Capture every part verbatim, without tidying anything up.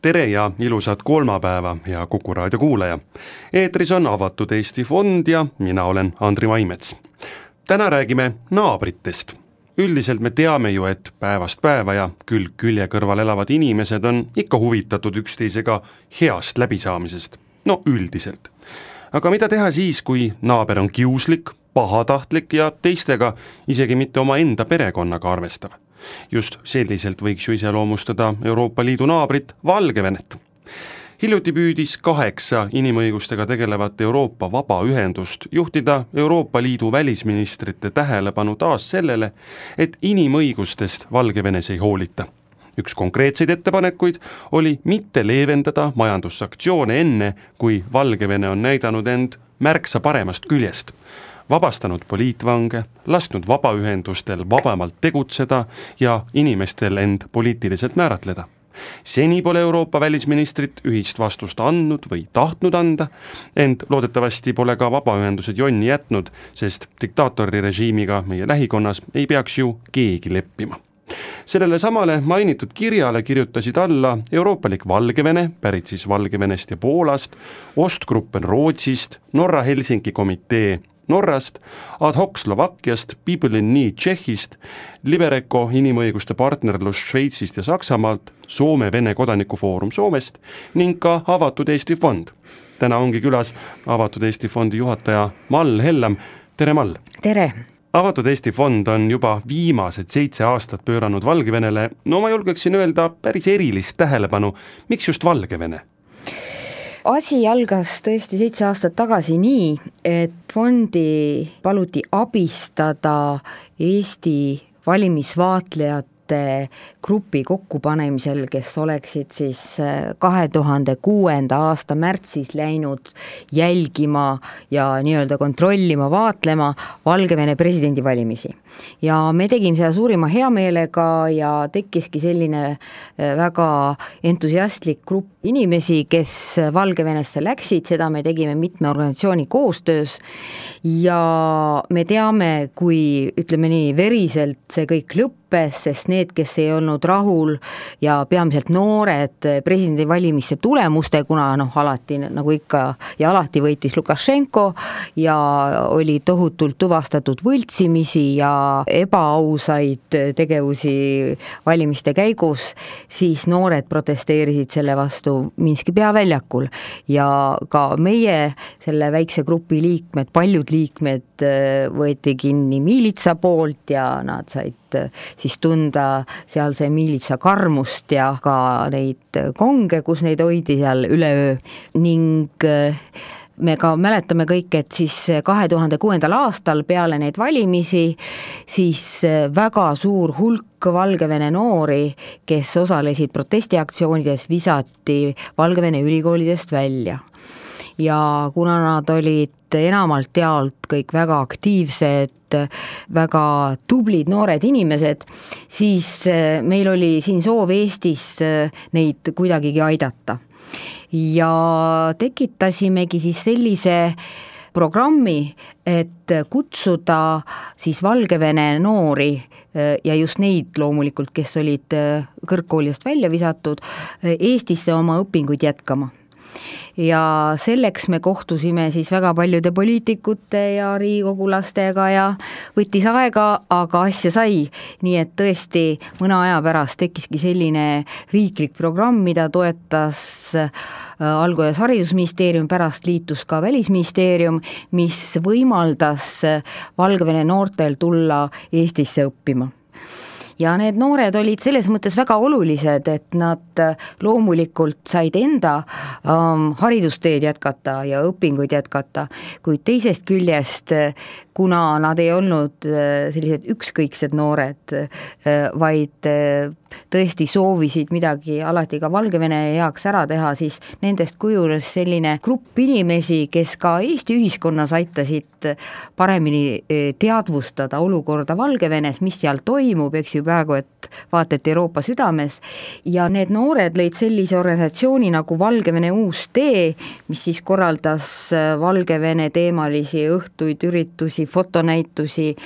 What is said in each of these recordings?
Tere ja ilusat kolmapäeva ja Kuku raadio kuulaja. Eetris on Avatud Eesti Fond ja mina olen Andri Vaimets. Täna räägime naabritest. Üldiselt me teame ju, et päevast päeva ja külg külje kõrval elavad inimesed on ikka huvitatud üksteisega heast läbisaamisest. No üldiselt. Aga mida teha siis, kui naaber on kiuslik, pahatahtlik ja teistega isegi mitte oma enda perekonnaga arvestav? Just selliselt võiks ju iseloomustada Euroopa Liidu naabrit Valgevenet. Hiljuti püüdis kaheksa inimõigustega tegelevat Euroopa vabaühendust juhtida Euroopa Liidu välisministrite tähelepanu taas sellele, et inimõigustest Valgevenes ei hoolita. Üks konkreetseid ettepanekuid oli mitte leevendada majandussanktsioone enne, kui Valgevene on näidanud end märksa paremast küljest. Vabastanud poliitvange, lasknud vabaühendustel vabamalt tegutseda ja inimestel end poliitiliselt määratleda. Seni pole Euroopa välisministrit ühist vastust andnud või tahtnud anda, ent loodetavasti pole ka vabaühendused jonni jätnud, sest diktaatori režiimiga meie lähikonnas ei peaks ju keegi leppima. Sellele samale mainitud kirjale kirjutasid alla Euroopalik Valgevene, pärit siis Valgevenest ja Poolast, Ostgruppen Rootsist, Norra Helsinki komitee Norrast, Ad hoc Slovakkiast, People in Need Tšehhist, Libereco inimõiguste partnerlus Šveitsist ja Saksamaalt, Soome-Vene kodanikufoorum Soomest ning ka Avatud Eesti Fond. Täna ongi külas Avatud Eesti Fondi juhataja Mall Hellam. Tere, Mall! Tere! Avatud Eesti Fond on juba viimased seitse aastat pööranud Valgevenele, no ma julgeksin öelda päris erilist tähelepanu. Miks just Valgevene? Asi algas tõesti seitse aastat tagasi nii, et fondi paluti abistada Eesti valimisvaatlejate grupi kokkupanemisel, kes oleksid siis kahe tuhande kuuenda aasta märtsis läinud jälgima ja nii-öelda kontrollima, vaatlema Valgevene presidendivalimisi. Ja me tegime seda suurima heameelega ja tekkiski selline väga entusiastlik grupp inimesi, kes Valgevenesse läksid, seda me tegime mitme organisatsiooni koostöös ja me teame, kui ütleme nii veriselt see kõik lõppes, sest need, kes ei olnud rahul ja peamiselt noored presidendivalimiste tulemuste, kuna noh, alati nagu ikka ja alati võitis Lukašenko ja oli tohutult tuvastatud võltsimisi ja ebaausaid tegevusi valimiste käigus, siis noored protesteerisid selle vastu Minski peaväljakul ja ka meie selle väikse grupi liikmed, paljud liikmed võeti kinni miilitsa poolt ja nad said siis tunda sealse miilitsa karmust ja ka neid konge, kus neid hoidi seal üleöö ning me ka mäletame kõik, et siis kahe tuhande kuuendal aastal peale neid valimisi siis väga suur hulk Valgevene noori, kes osalesid protestiaktsioonides, visati Valgevene ülikoolidest välja. Ja kuna nad olid enamalt jaolt kõik väga aktiivsed, väga tublid noored inimesed, siis meil oli siin soov Eestis neid kuidagigi aidata. Ja tekitasimegi siis sellise programmi, et kutsuda siis Valgevene noori ja just neid loomulikult, kes olid kõrgkoolist välja visatud, Eestisse oma õpinguid jätkama. Ja selleks me kohtusime siis väga paljude poliitikute ja riigikogulastega ja võttis aega, aga asja sai. Nii et tõesti mõne aja pärast tekkiski selline riiklik programm, mida toetas alguses haridusministeerium, pärast liitus ka välisministeerium, mis võimaldas Valgevene noortel tulla Eestisse õppima. Ja need noored olid selles mõttes väga olulised, et nad loomulikult said enda um, haridusteed jätkata ja õpinguid jätkata, kuid teisest küljest, kuna nad ei olnud sellised ükskõiksed noored, vaid tõesti soovisid midagi alati ka Valgevene heaks ära teha, siis nendest kujunes selline grupp inimesi, kes ka Eesti ühiskonnas aitasid paremini teadvustada olukorda Valgevenes, mis seal toimub, eks ju praegu, et vaata, et Euroopa südames, ja need noored lõid sellise organisatsiooni nagu Valgevene uus tee, mis siis korraldas Valgevene teemalisi õhtuid, üritusi, fotonäitusi,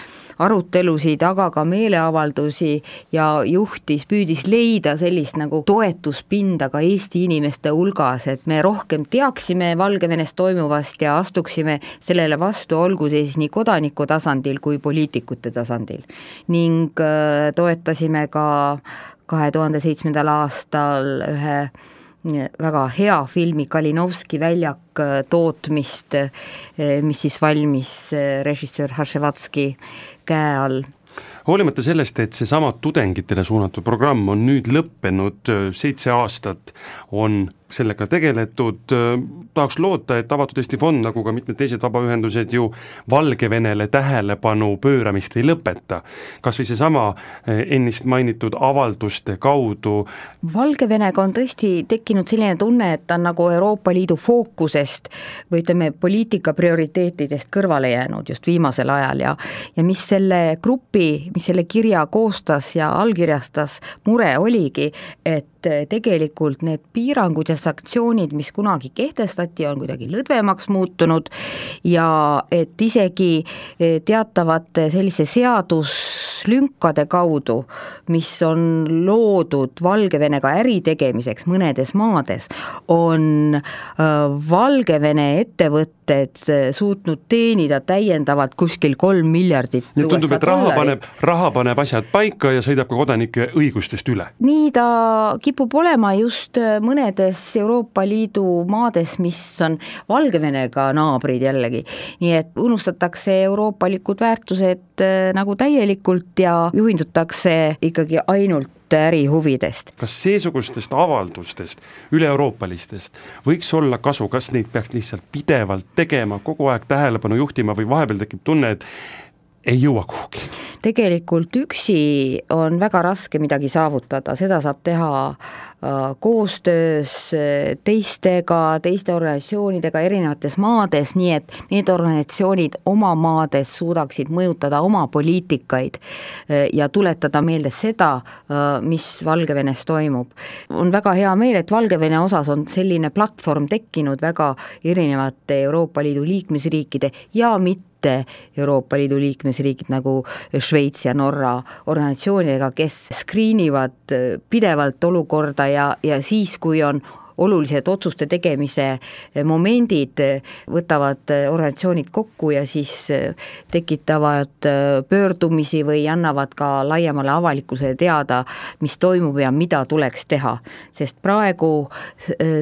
arutelusid, aga ka meeleavaldusi ja juhtis, püüdis leida sellist nagu toetuspinda ka Eesti inimeste hulgas, et me rohkem teaksime Valgevenes toimuvast ja astuksime sellele vastu, olgu siis nii kodaniku tasandil kui poliitikute tasandil. Ning toetasime ka kahe tuhande seitsmendal aastal ühe väga hea filmi Kalinovski väljak tootmist, mis siis valmis režissöör Haševatski käe all. Hoolimata sellest, et see sama tudengitele suunatud programm on nüüd lõppenud, seitse aastat on sellega tegeletud, tahaks loota, et Avatud Eesti Fond, nagu ka mitmed teised vabaühendused ju Valgevenele tähelepanu pööramist ei lõpeta. Kas või see sama ennist mainitud avalduste kaudu? Valgevenega on tõesti tekkinud selline tunne, et ta on nagu Euroopa Liidu fookusest või ütleme poliitika prioriteetidest kõrvale jäänud just viimasel ajal ja, ja mis selle grupi, mis selle kirja koostas ja allkirjastas, mure oligi, et tegelikult need piirangud ja sanktsioonid, mis kunagi kehtestati, on kuidagi lõdvemaks muutunud ja et isegi teatavate sellise seaduslünkade kaudu, mis on loodud Valgevenega äri tegemiseks mõnedes maades, on Valgevene ettevõtted suutnud teenida täiendavalt kuskil kolm miljardit. Nii tundub, et raha paneb, raha paneb asjad paika ja sõidab ka kodanike õigustest üle. Nii ta kipub olema just mõnedes Euroopa Liidu maades, mis on Valgevenega naabrid jällegi. Nii et unustatakse euroopalikud väärtused nagu täielikult ja juhindutakse ikkagi ainult ärihuvidest. Kas seesugustest avaldustest, üle-euroopalistest võiks olla kasu, kas neid peaks lihtsalt pidevalt tegema, kogu aeg tähelepanu juhtima või vahepeal tekib tunne, et ei jõua kuhugi? Tegelikult üksi on väga raske midagi saavutada, seda saab teha koostöös teistega, teiste organisatsioonidega erinevates maades, nii et need organisatsioonid oma maades suudaksid mõjutada oma poliitikaid ja tuletada meelde seda, mis Valgevenes toimub. On väga hea meel, et Valgevene osas on selline platvorm tekkinud väga erinevate Euroopa Liidu liikmesriikide ja mitte Euroopa Liidu liikmesriigid nagu Šveits ja Norra organisatsioonidega, kes skriinivad pidevalt olukorda ja, ja siis, kui on olulised otsuste tegemise momendid, võtavad organisatsioonid kokku ja siis tekitavad pöördumisi või annavad ka laiemale avalikkusele teada, mis toimub ja mida tuleks teha. Sest praegu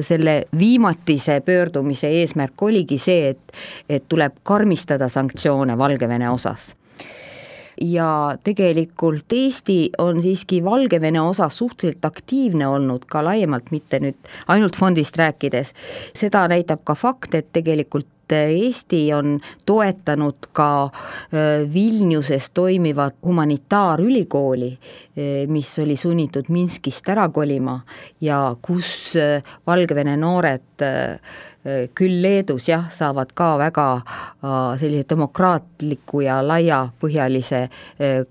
selle viimatise pöördumise eesmärk oligi see, et, et tuleb karmistada sanktsioone Valgevene osas. Ja tegelikult Eesti on siiski Valgevene osas suhteliselt aktiivne olnud ka laiemalt, mitte nüüd ainult fondist rääkides. Seda näitab ka fakt, et tegelikult Eesti on toetanud ka Vilniuses toimivat humanitaarülikooli, mis oli sunnitud Minskist ära kolima ja kus Valgevene noored küll Leedus jah, saavad ka väga sellise demokraatliku ja laiapõhjalise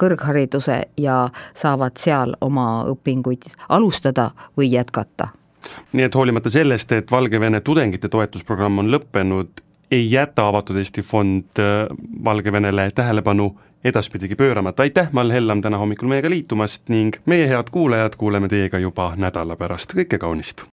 kõrghariduse ja saavad seal oma õpinguid alustada või jätkata. Nii et hoolimata sellest, et Valgevene tudengite toetusprogramm on lõppenud, ei jäta Avatud Eesti Fond Valgevenele tähelepanu edaspidigi pööramata. Aitäh, Mall Hellam täna hommikul meiega liitumast ning meie head kuulajad kuuleme teiega juba nädala pärast. Kõike kaunist!